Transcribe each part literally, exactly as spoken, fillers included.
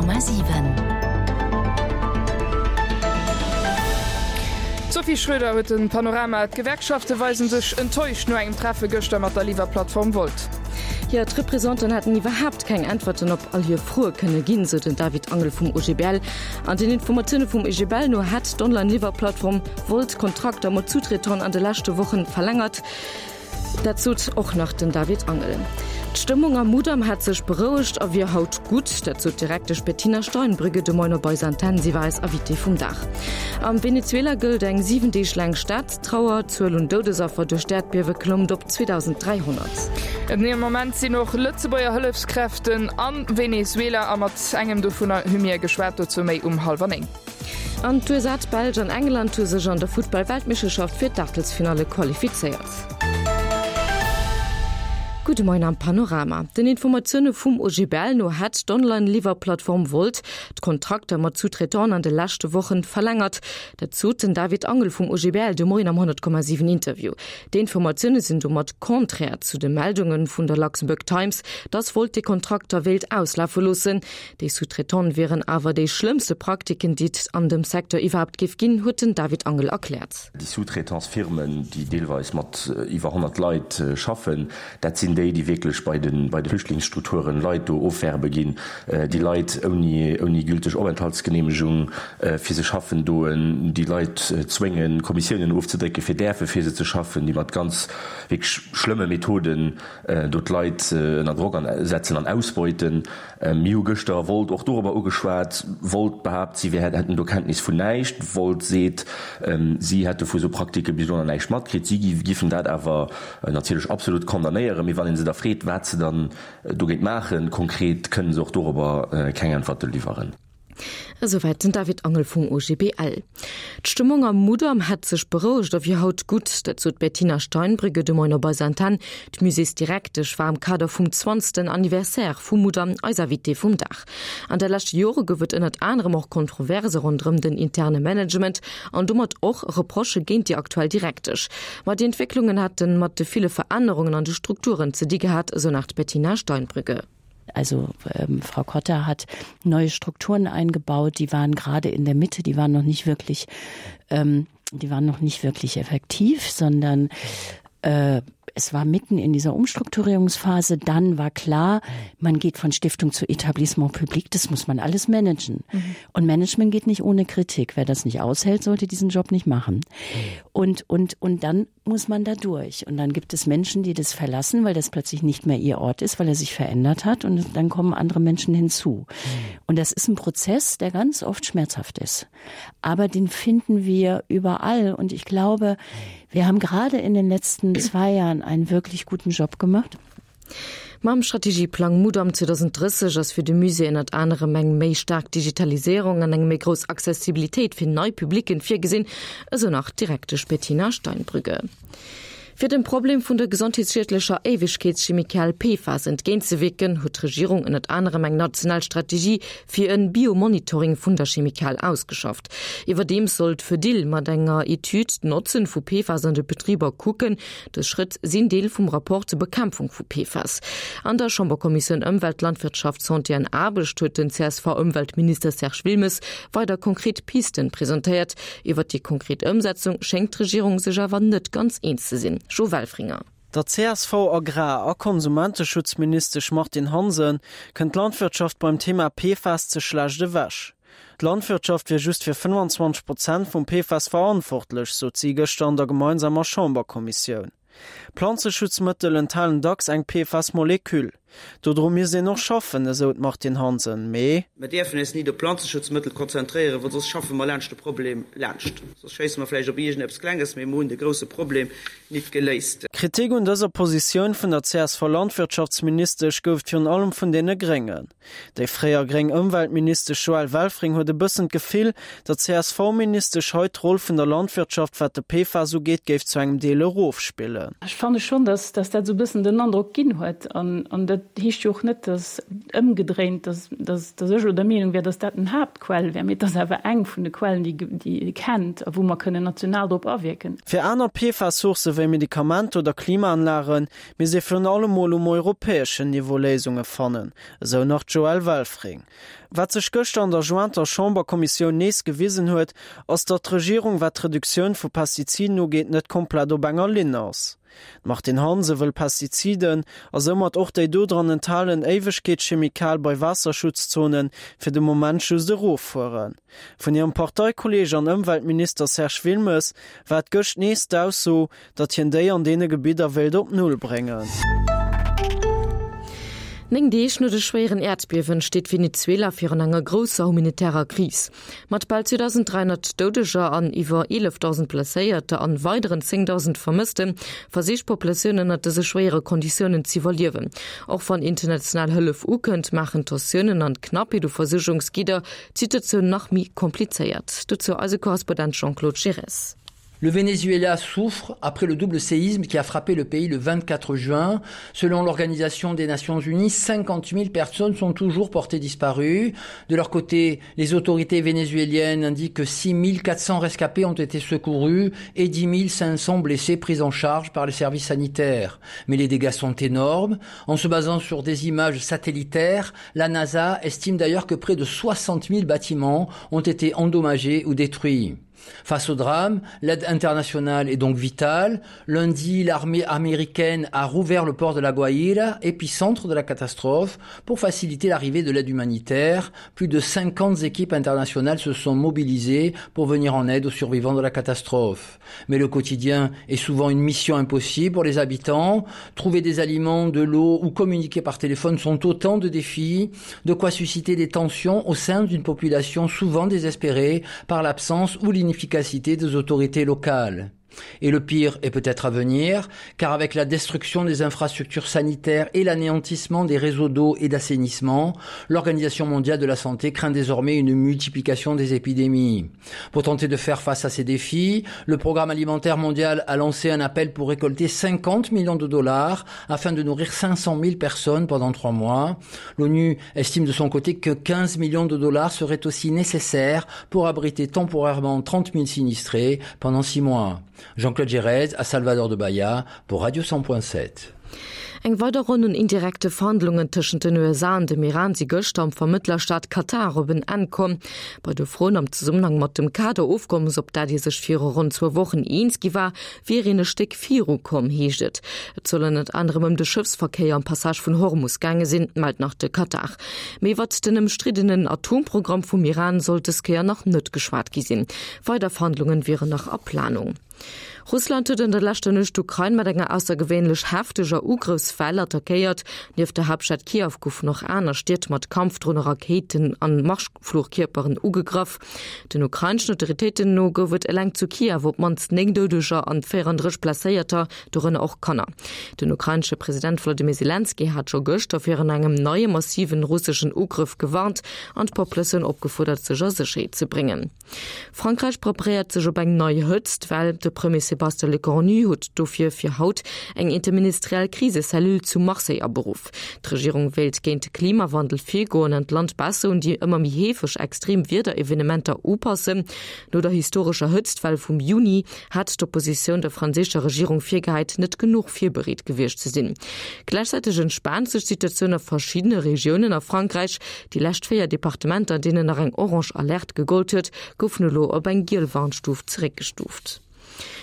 Komma siwen. D'Sophie Schröder huet den Panorama. D'Gewerkschafte weisen sech enttäuscht no engem Treffe gëschter mat der Liwwerplattform Wolt. Jo, d'Representanten hätten iwwerhaapt keng Äntwerten op all hir Froe kënne ginn, sou den David Angel vum OGBL. An den Informatioune vum OGBL no hätt d'Online-Liwwerplattform Wolt Kontrakter mat Sous-traitant'en an de leschte Wochen verlängert. Dat sot och nach den David Angel. D'Stëmmung am Mudam hätt sech berouegt a wier haut gutt. Dat sot d'Direktesch Bettina Steinbrügge de Moien op eiser Antenn. Si war eis Invitée vum Dag. Am Venezuela gëllt eng siwen Deeg laang Staatstrauer. D'Zuel un Doudesaffer duerch d'Äerdbiewe klëmmt op zweedausend dräihonnert. Am Moment sinn och Lëtzebuerger Hëllefskräften a Venezuela a mat engem dovunner hu mir geschwat. Dozou méi um hallwer néng. An d'U S A, d'Belsch an England hu sech an der Futtball-Weltmeeschterschaft fir d'Aachtelsfinalle qualifizéiert. Gudde Moien am Panorama. Den Informatioune vum O G B L no hätt d'Online-Liwwerplattform Wolt d'Kontrakter mat Sous-traitanten an de leschte Wochen verlängert. Dat sot den David Angel vum O G B L de Moien am honnert Komma siwen Interview. Déi Informatioune sinn domat konträr zu de Meldunge vun der Luxembourg Times, dass Wolt déi Kontrakter wéilt auslafe loossen. Déi Sous-traitante wieren awer déi schlëmmste Praktiken, déi et an dem Secteur iwwerhaapt géif ginn, huet den David Angel erkläert. Déi Sous-traitance-Firmen, déi deelweis mat iwwer honnert Leit schaffen, dat sinn déi, déi wierklech bei de bei de Flüchtlingsstrukturen Leit do ofwerbe ginn, déi Leit ouni ouni gülteg Openthaltsgeneemegung fir se schaffen doen, déi Leit zwéngen, Kommissiounen ofzedrécken, fir däerfe fir se ze schaffen, déi mat ganz wierklech schlëmme Methoden do d'Leit ënner Drock an setzen an ausbeuten. Mir hu gëschter Wolt och dorobber ugeschwat. Wolt behaapt, si wär hätten do Kenntnis vun näischt. Wolt seet, si hätte vu sou Praktike bis elo nach näischt matkritt. Si giffen dat awer natierlech absolut condamnéieren. Mee wann ee se da freet, wat se dann dogéint maachen, konkret, kënne se och dorobber keng Äntwerte liwweren. Esouwäit den David Angel vum O G B L. D'Stëmmung am Mudam hätt sech berouegt a wier haut gutt, dat sot d'Bettina Steinbrügge de Moien op eiser Antenn. D'Muséesdirektesch war am Kader vum zwanzegsten Anniversaire vum Mudam eis Invitée vum Dag. An de leschte Jore gouf et ënnert anerem och Kontroverse ronderëm den interne Management an domat och Reprochë géint déi aktuell Direktesch. Ma déi Entwécklungen hätte mat de ville Verännerungen an de Strukturen ze di gehat, esou nach d'Bettina Steinbrügge. Also ähm, Frau Kotter hat neue Strukturen eingebaut, die waren gerade in der Mitte, die waren noch nicht wirklich, ähm, die waren noch nicht wirklich effektiv, sondern äh, es war mitten in dieser Umstrukturierungsphase. Dann war klar, man geht von Stiftung zu Etablissement public, das muss man alles managen. Mhm. Und Management geht nicht ohne Kritik. Wer das nicht aushält, sollte diesen Job nicht machen. Und, und, und dann muss man da durch. Und dann gibt es Menschen, die das verlassen, weil das plötzlich nicht mehr ihr Ort ist, weil er sich verändert hat. Und dann kommen andere Menschen hinzu. Und das ist ein Prozess, der ganz oft schmerzhaft ist. Aber den finden wir überall. Und ich glaube, wir haben gerade in den letzten zwei Jahren einen wirklich guten Job gemacht. Mam Strategieplang Mudam zweedausenddrësseg ass fir de Musée ënnert anerem eng méi staark Digitaliséierung an eng méi grouss Accessibilitéit fir nei Publicken virgesinn, esou nach d'Direktesch Bettina Steinbrügge. Fir dem Problem vun der gesondheetsschiedlecher Éiwegkeetschemikal P F A S entgéintzewierken, huet d'Regierung ënnert anerem eng national Strategie fir e Biomonitoring vun der Chemikal ausgeschafft. Iwwerdeems soll d'Fedil mat enger Etüd d'Notzen vu P F A S an de Betriber kucken. Dës Schrëtt sinn Deel vum Rapport zur Bekämpfung vu P F A S. An der Chamberkommissioun Ëmwelt, Landwirtschaft, Santé an Aarbecht huet den C S V-Ëmweltminister Serge Wilmes weider konkret Pisten presentéiert. Iwwer déi konkret Ëmsetzung schéngt d'Regierung sech awer net ganz eens ze sinn. Jo Welfringer. Der C S V-Agrar- a Konsumenteschutzministesch Martine Hansen kënnt d'Landwirtschaft beim Thema P F A S ze schlecht ewech. D'Landwirtschaft wier just fir fënnfanzwanzeg Prozent vum P F A S verantwortlech, sot si gëschter an der gemeinsamer Chamberkommissioun. Planzeschutzmëttel enthalen dacks eng P F A S-Molekül. Dodru misst een och schaffen, esou d'Martine Hansen, mee. Mir däerfen eis nit op Planzeschutzmëttel konzentréieren, well soss schaffe mer laanscht de Problem laanscht. Soss schéisse mer vläicht op iergendeppes Klenges, mee mer hunn de grousse Problem nit geléist. Kritik un dëser Positioun vun der C S V-Landwirtschaftsministesch gouf et virun allem vun deene Gréngen. Déi fréier gréng Ëmweltministesch Joëlle Welfring huet e bëssen d'Gefill, datt d'C S V-Ministesch hei d'Roll vun der Landwirtschaft, wat de P F A S ugeet, géif zu engem Deel erofspillen. Ech fanne schonn, dass, dass dat sou e bëssen den Androck ginn huet an, an dat Dat heescht jo och net, dass ëmgedréint, dass, dass, dass ech elo der Meenung wär, dass dat den Haaptquell wär, mee et ass awer eng vun de Quellen, déi, déi kennt a wou mer kënnen national drop awierken. Fir aner PFAS-Sourcë wéi Medikamenter oder Klimaanlage misst ee virun allem mol um europäeschen Niveau Léisunge fannen, esou nach d'Joëlle Welfring. Wat sech gëschter an der jointer Chamberkommissioun nees gewisen huet, ass datt d'Regierung wat d'Reduktioun vu Pestiziden ugeet net komplett op enger Linn ass. D'Martine Hansen wëll Pestiziden, a soumat och déi dodran enthalen Éiwegkeetschemikal bei Waasserschutzzonen fir de Moment just eroffueren. Vun hirem Parteikolleeg an Ëmweltminister Serge Wilmes war et gëscht nees d'Ausso, datt hien déi an deene Gebidder wéilt op Null bréngen. Néng Deeg no de schwéieren Äerdbiewen steet Venezuela virun enger grousser humanitärer Kris. Mat bal zweedausend dräihonnert Doudeger an iwwer eelefdausend Blesséierter an weideren zéngdausend Vermësste versicht d'Populatioun ënnert dëse schwéiere Konditiounen z'iwwerliewen. Och wann international Hëllef ukënnt, maachen d'Tensiounen an d'Knappheet u Versuergungsgidder d'Situatioun nach méi komplizéiert. Dozou eise Korrespondent Jean-Claude Girres. Le Venezuela souffre après le double séisme qui a frappé le pays le vingt-quatre juin. Selon l'Organisation des Nations Unies, cinquante mille personnes sont toujours portées disparues. De leur côté, les autorités vénézuéliennes indiquent que six mille quatre cents rescapés ont été secourus et dix mille cinq cents blessés pris en charge par les services sanitaires. Mais les dégâts sont énormes. En se basant sur des images satellitaires, la NASA estime d'ailleurs que près de soixante mille bâtiments ont été endommagés ou détruits. Face au drame, l'aide internationale est donc vitale. Lundi, l'armée américaine a rouvert le port de La Guaira, épicentre de la catastrophe, pour faciliter l'arrivée de l'aide humanitaire. Plus de cinquante équipes internationales se sont mobilisées pour venir en aide aux survivants de la catastrophe. Mais le quotidien est souvent une mission impossible pour les habitants. Trouver des aliments, de l'eau ou communiquer par téléphone sont autant de défis, de quoi susciter des tensions au sein d'une population souvent désespérée par l'absence ou l'inefficacité des autorités locales. Et le pire est peut-être à venir, car avec la destruction des infrastructures sanitaires et l'anéantissement des réseaux d'eau et d'assainissement, l'Organisation mondiale de la santé craint désormais une multiplication des épidémies. Pour tenter de faire face à ces défis, le Programme alimentaire mondial a lancé un appel pour récolter cinquante millions de dollars afin de nourrir cinq cent mille personnes pendant trois mois. L'ONU estime de son côté que quinze millions de dollars seraient aussi nécessaires pour abriter temporairement trente mille sinistrés pendant six mois. Jean-Claude Gérez à Salvador de Bahia pour Radio cent point sept. Eng weider Ronn un indirekte Verhandlungen tëschent den U S A an dem Iran si gëschter am Vermëttlerstaat Katar op en Enn komm. Bei de Froen am Zesummenhang mat dem Kaderofkommes, op dat ee sech viru ronn zwou Wochen eens gi war, wier een e Stéck viru komm, heescht et. Et soll ënnert anerem ëm de Schëffsverkéier am Passage vun Hormus gaange sinn, mellt nach de Katar. Mee iwwert den ëmstriddenen Atomprogramm vum Iran soll dës Kéier nach net geschwat gi sinn. Weider Verhandlungen wieren nach a Planung. Russland huet an der leschter Nuecht d'Ukrain mat enger aussergewéinlech hefteger Ugrëffswell attackéiert. Nieft der Haaptstad Kiew goufen och aner Stied mat Kampfdronen, Rakéiten an Marschflugkierperen ugegraff. Den ukraineschen Autoritéiten no gouf et eleng zu Kiew op d'mannst néng Doudeger an véierandrësseg Blesséierter, dorënner och Kanner. Den ukrainesche President Wolodymyr Selenskyj hat scho gëschter virun engem neie massiven russeschen Ugrëff gewarnt an d'Populatioun opgefuerdert, sech a Sécherheet ze bréngen. Frankräich preparéiert sech op eng nei Hëtztwell. De Premier Sébastien Lecornu huet dofir fir haut eng interministeriell Krisecellule zu Marseille aberuff. D'Regierung wéilt géint de Klimawandel virgoen an d'Land besser un déi ëmmer méi heefeg extrem Wiederevenementer upassen. No der historescher Hëtztwell vum Juni hat d'Oppositioun der franséischer Regierung virgehäit, net genuch virbereet gewiescht ze sinn. Gläichzäiteg entspaant sech d'Situatioun a verschiddene Regiounen a Frankräich. Déi lescht véier Departementer, an deenen nach eng orange Alerte gegollt huet, goufen elo op eng giel Warnstuf zeréckgestuuft.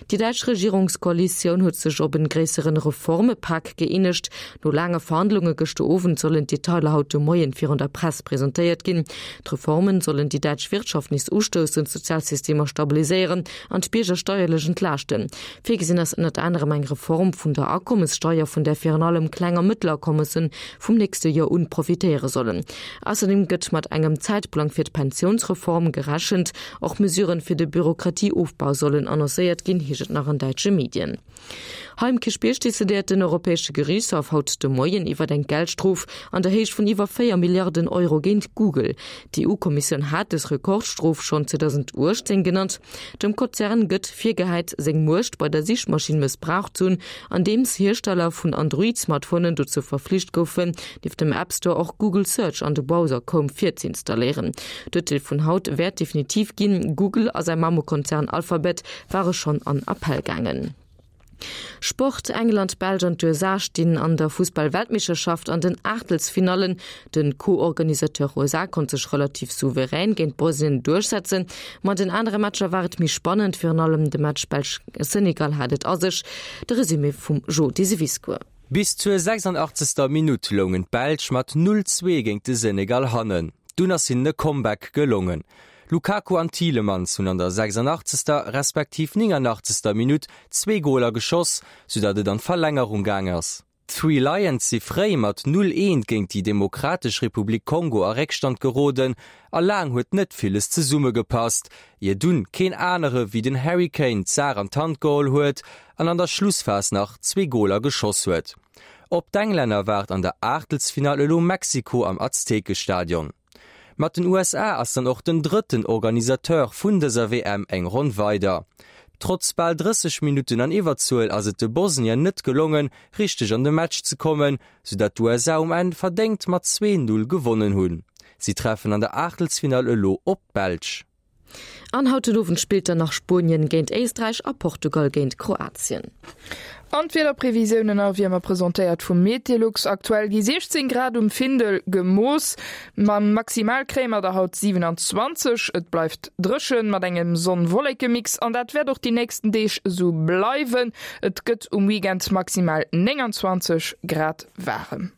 Déi däitsch Regierungskoalitioun huet sech op en gréisseren Reformepak gëeenegt. No laange Verhandlunge gëschter Owend sollen d'Detailer haut de Moien virun der Press presentéiert ginn. D'Reformen sollen déi däitsch Wirtschaft nees ustoussen, d'Sozialsystemer stabiliséieren an d'Bierger steierlech entlaaschten. Virgesinn ass ënnert anerem eng Reform vun der Akommessteier, vun där virun allem kleng a mëttel Akommessen vum nächste Joer un profitéiere sollen. Ausserdeem gëtt mat engem Zäitplang fir d'Pensiounsreform gerechent. Och Mesuren fir de Bürokratieofbau sollen annoncéiert ausgeliwwert ginn, heescht et nach an däitsche Medien. Hei um Kierchbierg decidéiert den Europäesche Geriichtshaff haut de Moien iwwer eng Geldstrof an der Héicht vun iwwer véier Milliarden Euro géint Google. D'EU-Kommissioun hat dës Rekordstrof schonn zweedausenduechtzéng genannt. Dem Konzern gëtt virgehäit, seng Muecht bei der Sichmaschinn mëssbraucht ze hunn, andeems Hiersteller vun Android-Smartphonen dozou verflicht goufen, nieft dem App Store och Google Search an de Browser Chrome virze'installéieren. D'Urteel vun haut wäert definitiv ginn. Google a säi Mammekonzern Alphabet ware schonn an Appell gaangen. Sport, England, d'Belsch an d'USA stinn an der Fussball-Weltmeeschterschaft an den Aachtelsfinallen. De Co-Organisateur U S A konnt sech relativ souverän géint Bosnien duerchsetzen. Ma an den anere Matcher war et méi spannend, virun allem de Match Belsch-Senegal hat et a sech. De Resumé vum Jo Diseviscourt. Bis zur sechsundachtzegster Minutt loungen d'Belsch mat null, zwee géint de Senegal hannen. Dunn ass hinnen e Comeback gelongen. Lukaku an Tielemans hunn an der sechsundachtzegster respektiv néngundachtzegster Minutt zwee Goler geschoss, soudatt et an d'Verlängerung gaang ass. D'Three Lions si fréi mat null, eent géint déi Demokratesch Republik Kongo a Réckstand geroden a laang huet net villes zesummegepasst, ier dunn keen anere wéi den Harry Kane d'Saach an d'Hand geholl huet an an der Schlussphas nach zwee Goler geschoss huet. Op d'Englänner waart an der Aachtelsfinall elo Mexiko am Aztekestadion. Mat den U S A ass dann och den drëtten Organisateur vun dëser W M eng Ronn weider. Trotz bal drësseg Minutten an Iwwerzuel ass et de Bosnier net gelongen, richteg an de Match ze kommen, soudatt d'U S A um Enn verdéngt mat zwee, null gewonnen hunn. Si treffen an der Aachtelsfinall elo op d'Belsch. An haut den Owend spillt dann nach Spuenien géint Éisträich a Portugal géint Kroatien. An d'Wiederprevisiounen a wéi ëmmer presentéiert vum Meteolux. Aktuell gi siechzéng Grad um Findel gemooss, ma maximal kréie mer der haut siewenundzwanzeg. Et bleift dréchen mat engem Sonn-Wolleke-Mix an dat wäert och déi nächsten Deeg esou bleiwen. Et gëtt um Weekend maximal nénganzwanzeg Grad waarem.